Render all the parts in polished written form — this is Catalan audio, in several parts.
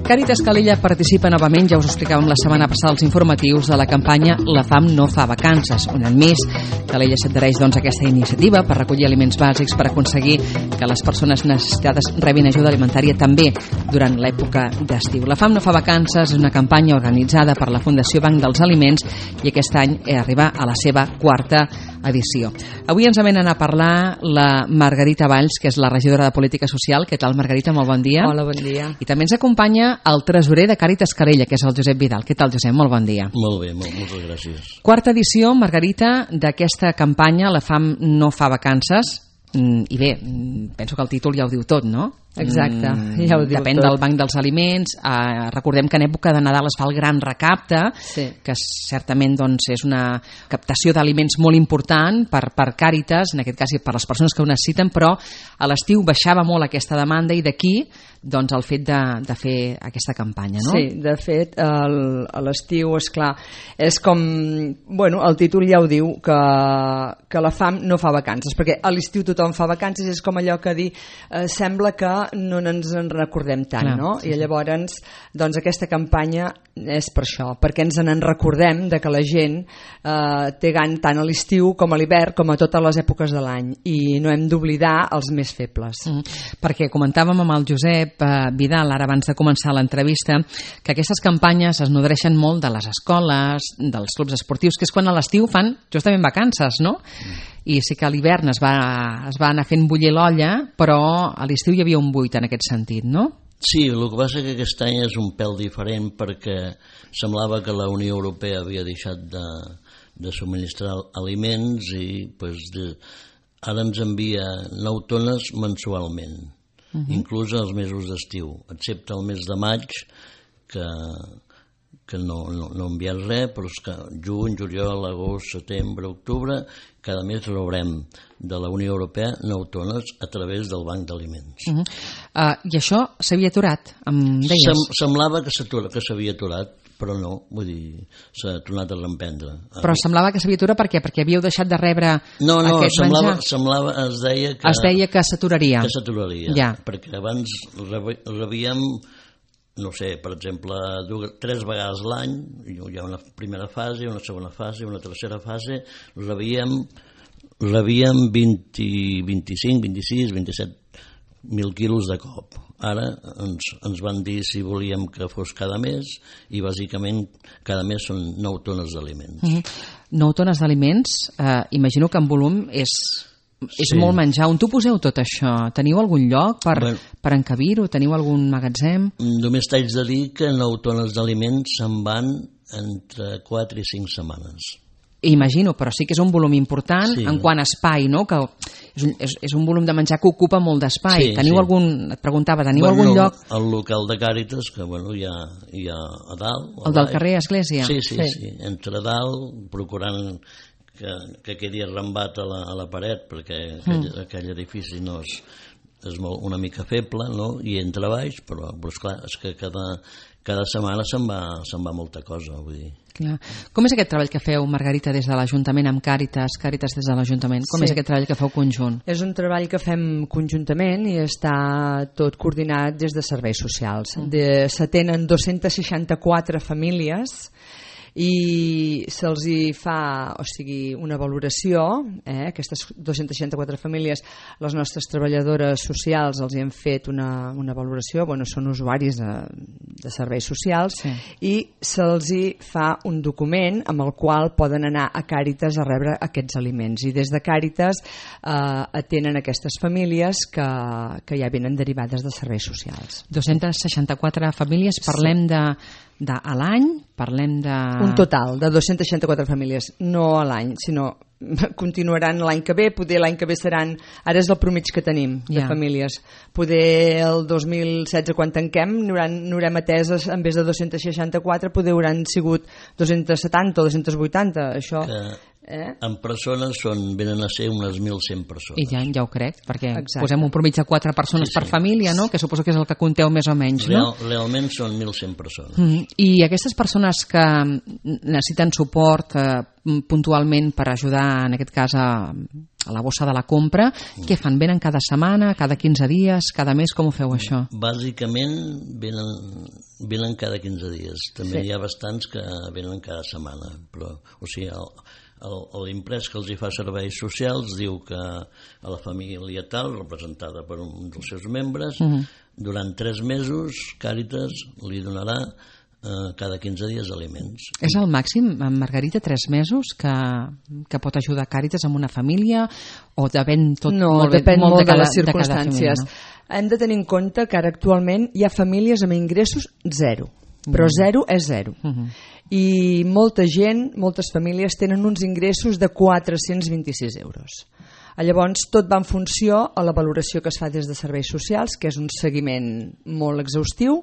Càritas Calella participa novament, ja us ho explicàvem la setmana passada als informatius, de la campanya La fam no fa vacances. Un any més, Calella s'adhereix aquesta iniciativa per recollir aliments bàsics per aconseguir que les persones necessitades rebin ajuda alimentària també durant l'època d'estiu. La fam no fa vacances és una campanya organitzada per la Fundació Banc dels Aliments i aquest any arriba a la seva quarta edició. Avui ens venen a parlar la Margarita Valls, que és la regidora de Política Social. Què tal, Margarita? Molt bon dia. Hola, bon dia. I també ens acompanya el tresorer de Càritas Calella, que és el Josep Vidal. Què tal, Josep? Molt bon dia. Molt bé, moltes gràcies. Quarta edició, Margarita, d'aquesta campanya La fam no fa vacances. I bé, penso que el títol ja ho diu tot, no? Exacte, ja ho diu Depèn tot. del Banc dels Aliments. Recordem que en època de Nadal es fa el gran recapte, Sí. que certament és una captació d'aliments molt important per Càritas, en aquest cas per les persones que ho necessiten, però a l'estiu baixava molt aquesta demanda i d'aquí el fet de fer aquesta campanya, no? Sí, de fet, a l'estiu, esclar, és com... Bueno, el títol ja ho diu, que la fam no fa vacances, perquè a l'estiu tothom fa vacances, és com allò que dir, sembla que no ens en recordem tant, Clar, no? sí, I llavors, aquesta campanya és per això, perquè ens en recordem de que la gent té gana tant a l'estiu com a l'hivern, com a totes les èpoques de l'any, i no hem d'oblidar els més febles. Perquè comentàvem amb el Josep Vidal, ara abans de començar l'entrevista, que aquestes campanyes es nodreixen molt de les escoles, dels clubs esportius, que és quan a l'estiu fan justament vacances, no? I sí que a l'hivern es va anar fent bullir l'olla, però a l'estiu hi havia un buit en aquest sentit, no? Sí, el que passa que aquest any és un pèl diferent perquè semblava que la Unió Europea havia deixat de subministrar aliments i ara ens envia 9 tones mensualment, inclús els mesos d'estiu, excepte el mes de maig, que no enviat res, però és que juny, juliol, agost, setembre, octubre, cada mes rebrem de la Unió Europea 9 tones a través del Banc d'Aliments. I això s'havia aturat, em deies? Semblava que s'havia aturat, però no, vull dir, s'ha tornat a reemprendre. Però semblava que s'havia aturat per què? Perquè havíeu deixat de rebre aquest menjar? No, es deia que... Es deia que s'aturaria. Que s'aturaria, ja. perquè abans rebíem, no sé, per exemple, 3 vegades l'any, hi ha una primera fase, una segona fase, una tercera fase, rebíem 20, 25, 26, 27.000 quilos de cop. Ara ens van dir si volíem que fos cada mes i bàsicament cada mes són 9 tones d'aliments. 9 tones d'aliments, imagino que en volum és molt menjar. On t'ho poseu tot això? Teniu algun lloc per encabir-ho? Teniu algun magatzem? Només t'haig de dir que 9 tones d'aliments se'n van entre 4 i 5 setmanes. Imagino, però sí que és un volum important en quant a espai, no? Que és un volum de menjar que ocupa molt d'espai. Teniu algun, et preguntava, teniu algun lloc? El local de Càritas, que hi ha a dalt. El del carrer Església? Sí. Entre dalt, procurant que quedi arrambat a la paret, perquè aquell edifici no és una mica feble, no? I entre baix, però esclar, és que cada setmana se'n va molta cosa, vull dir. Clar. Com és aquest treball que feu, Margarita, des de l'Ajuntament amb Càritas des de l'Ajuntament? Com és aquest treball que feu conjunt? És un treball que fem conjuntament i està tot coordinat des de serveis socials. S'atenen 264 famílies i se'ls hi fa, una valoració, aquestes 264 famílies, les nostres treballadores socials els hi han fet una valoració, són usuaris de serveis socials, i se'ls hi fa un document amb el qual poden anar a Càritas a rebre aquests aliments, i des de Càritas atenen aquestes famílies que ja venen derivades de serveis socials. 264 famílies, parlem a l'any, parlem de... Un total de 264 famílies, no a l'any, sinó continuaran l'any que ve, poder l'any que ve seran, ara és el promig que tenim de famílies, poder el 2016 quan tanquem n'haurem ateses en vez de 264, poder hauran sigut 270 o 280, això... En persones venen a ser unes 1.100 persones. I ja ho crec, perquè posem un promig de 4 persones per família, no? Que suposo que és el que compteu més o menys, no? Realment són 1.100 persones. I aquestes persones que necessiten suport puntualment per ajudar, en aquest cas, a la bossa de la compra. Què fan? Venen cada setmana, cada 15 dies, cada mes? Com ho feu, això? Bàsicament venen cada 15 dies. També hi ha bastants que venen cada setmana. Però, o sigui, l'imprès que els hi fa serveis socials diu que a la família tal, representada per un dels seus membres, durant 3 mesos Càritas li donarà cada 15 dies aliments. És el màxim, Margarita, 3 mesos que pot ajudar Càritas amb una família, o depèn tot depèn molt de les Família, circumstàncies. no? Hem de tenir en compte que ara actualment hi ha famílies amb ingressos 0, però 0 és 0. I moltes famílies tenen uns ingressos de 426 euros. Llavors, tot va en funció a la valoració que es fa des de serveis socials, que és un seguiment molt exhaustiu,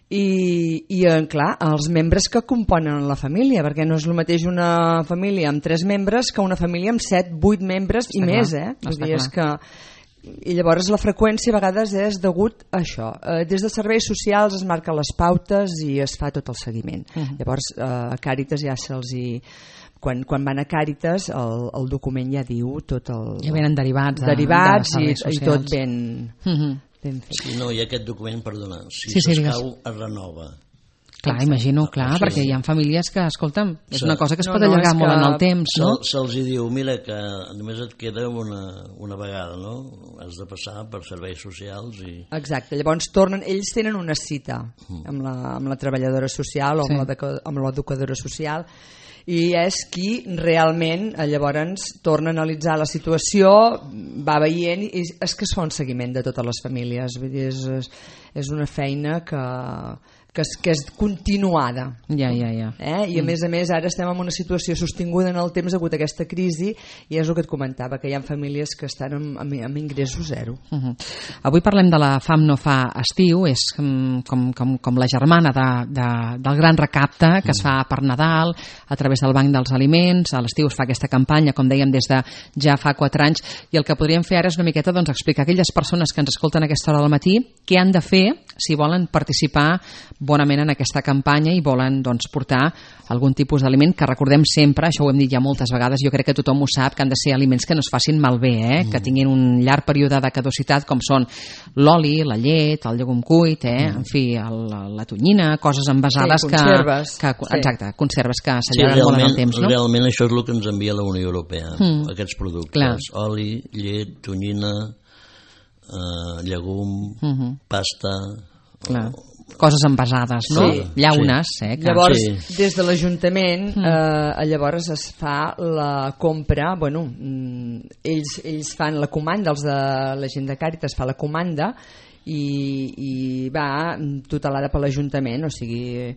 i clar, els membres que componen la família, perquè no és el mateix una família amb 3 membres que una família amb 7, 8 membres i més, Vull dir, és que... I llavors la freqüència a vegades és degut a això. Des de serveis socials es marquen les pautes i es fa tot el seguiment. Llavors a Càritas ja se'ls hi... Quan van a Càritas el document ja diu tot el... Ja venen derivats i tot ben fet. Sí, no, i aquest document, perdona, si sí, s'escau es renova. Clar, imagino, perquè hi ha famílies que, escolta'm, és una cosa que es pot allargar molt en el temps, no? Se'ls diu, mira, que només et queda una vegada, no? Has de passar per serveis socials i... Exacte, llavors ells tenen una cita amb la treballadora social o amb l'educadora social, i és qui realment llavors torna a analitzar la situació, va veient, i és que es fa un seguiment de totes les famílies. Vull dir, és una feina que és continuada. Ja. I a més ara estem en una situació sostinguda en el temps degut a aquesta crisi, i és el que et comentava, que hi ha famílies que estan amb ingressos 0. Avui parlem de la Fam no fa estiu, és com la germana del gran recapte que es fa per Nadal a través del Banc dels Aliments. A l'estiu es fa aquesta campanya, com dèiem, des de ja fa 4 anys, i el que podríem fer ara és una miqueta explicar a aquelles persones que ens escolten a aquesta hora del matí què han de fer si volen participar bonament en aquesta campanya i volen portar algun tipus d'aliment, que recordem sempre, això ho hem dit ja moltes vegades, jo crec que tothom ho sap, que han de ser aliments que no es facin malbé, que tinguin un llarg període de caducitat, com són l'oli, la llet, el llegum cuit, en fi, la tonyina, coses envasades conserves. Exacte, conserves que s'allarguen molt en el temps, no? Realment això és el que ens envia la Unió Europea, aquests productes, oli, llet, tonyina, llegum, pasta... Coses envasades, no? Llaunes, Llavors, des de l'Ajuntament llavors es fa la compra, ells fan la comanda, els de la gent de Càritas fa la comanda i va tutelada per l'Ajuntament, o sigui,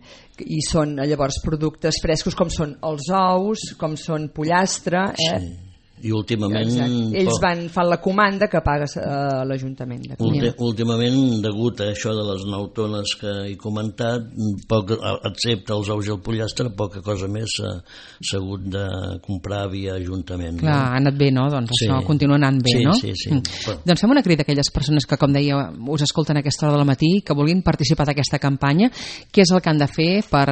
i són llavors productes frescos com són els ous, com són pollastre, i últimament... Ells fan la comanda que paga l'Ajuntament. Últimament, degut a això de les 9 tones que he comentat, excepte els ous i el pollastre, poca cosa més s'ha hagut de comprar via Ajuntament. Clar, ha anat bé, no? Doncs això continua anant bé, no? Sí. Doncs fem una crida a aquelles persones que, com deia, us escolten a aquesta hora del matí, que vulguin participar d'aquesta campanya. Què és el que han de fer per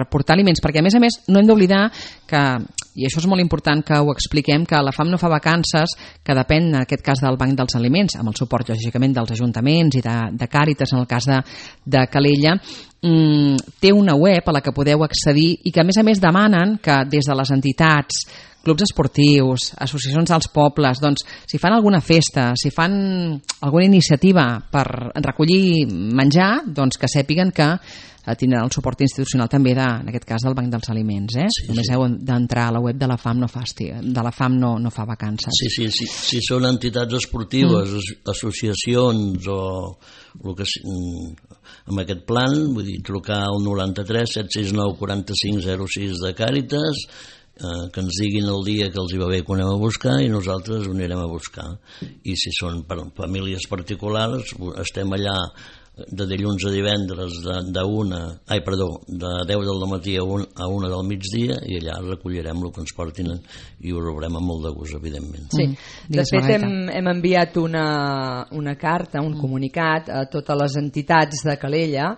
portar aliments? Perquè, a més, no hem d'oblidar que, i això és molt important que ho expliquem, que la Fam no fa vacances, que depèn en aquest cas del Banc dels Aliments, amb el suport lògicament dels ajuntaments i de Càritas en el cas de Calella, té una web a la que podeu accedir i que a més demanen que des de les entitats, clubs esportius, associacions dels pobles, doncs si fan alguna festa, si fan alguna iniciativa per recollir menjar, doncs que sàpiguen que tindran el suport institucional també en aquest cas del Banc dels Aliments. Només heu d'entrar a la web de la Fam no fa vacances. Sí. Si són entitats esportives, associacions o el que amb aquest plan, vull dir, trucar al 93 769 45 06 de Càritas, que ens diguin el dia que els hi va bé que ho anem a buscar i nosaltres ho anirem a buscar. I si són per famílies particulars, estem allà de dilluns a divendres de 10 del matí a 1 del migdia, i allà recollirem el que ens portin i ho rebrem amb molt de gust, evidentment. Sí. De fet, hem enviat una carta, un comunicat a totes les entitats de Calella,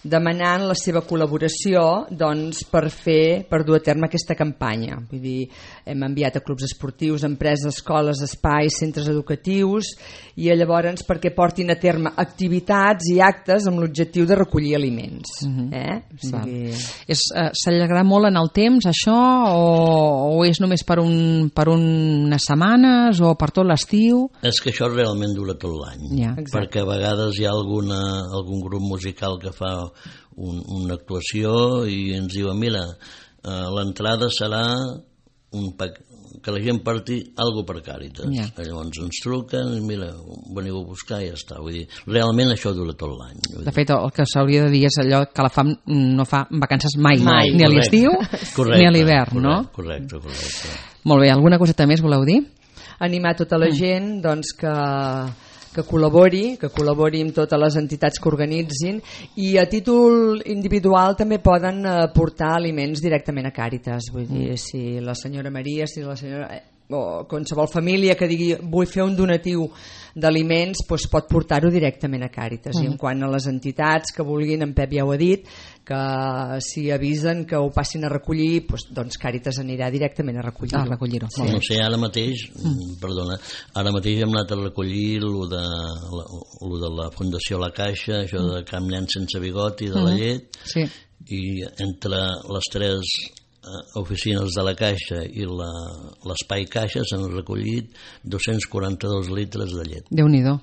demanant la seva col·laboració doncs, per dur a terme aquesta campanya. Vull dir, hem enviat a clubs esportius, empreses, escoles, espais, centres educatius, i llavors perquè portin a terme activitats i actes amb l'objectiu de recollir aliments. S'allargarà molt en el temps això, o és només per unes setmanes o per tot l'estiu? És que això realment dura tot l'any, perquè a vegades hi ha algun grup musical que fa una actuació i ens diuen, mira, l'entrada serà que la gent porti alguna per Càritas. Llavors ens truquen, mira, veniu a buscar i ja està. Vull dir, realment això dura tot l'any. De fet, el que s'hauria de dir és allò que la FAM no fa vacances mai. Ni a l'estiu ni a l'hivern, no? Correcte. Molt bé, alguna coseta més voleu dir? Animar tota la gent doncs, que col·labori amb totes les entitats que organitzin, i a títol individual també poden portar aliments directament a Càritas. Vull dir, si la senyora Maria, si la senyora o qualsevol família que digui vull fer un donatiu d'aliments, doncs pot portar-ho directament a Càritas. I en quant a les entitats que vulguin, en Pep ja ho ha dit, que si avisen que ho passin a recollir, doncs Càritas anirà directament a recollir-ho. No sé, ara mateix hem anat a recollir lo de la Fundació La Caixa, això de Camp Nen sense bigoti, de la llet, i entre les tres oficines de la Caixa i l'Espai Caixa s'han recollit 242 litres de llet. Déu-n'hi-do.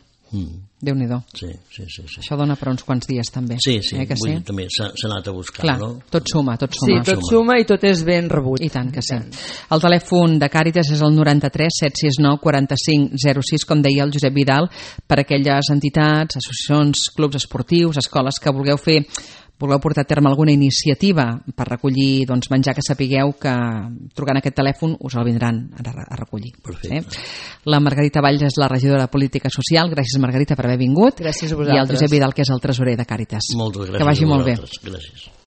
Déu-n'hi-do. Sí. Això dona per uns quants dies també. Sí, vull dir, també s'ha anat a buscar. Clar, no? Tot suma. Sí, tot suma i tot és ben rebut. I tant que sí. El telèfon de Càritas és el 93 769 45 06, com deia el Josep Vidal, per aquelles entitats, associacions, clubs esportius, escoles que vulgueu portar a terme alguna iniciativa per recollir menjar, que sapigueu que trucant aquest telèfon us el vindran a recollir. La Margarita Valls és la regidora de Política Social. Gràcies, Margarita, per haver vingut. Gràcies a vosaltres. I el Josep Vidal, que és el tresorer de Càritas. Moltes gràcies. Que vagi molt bé. Gràcies.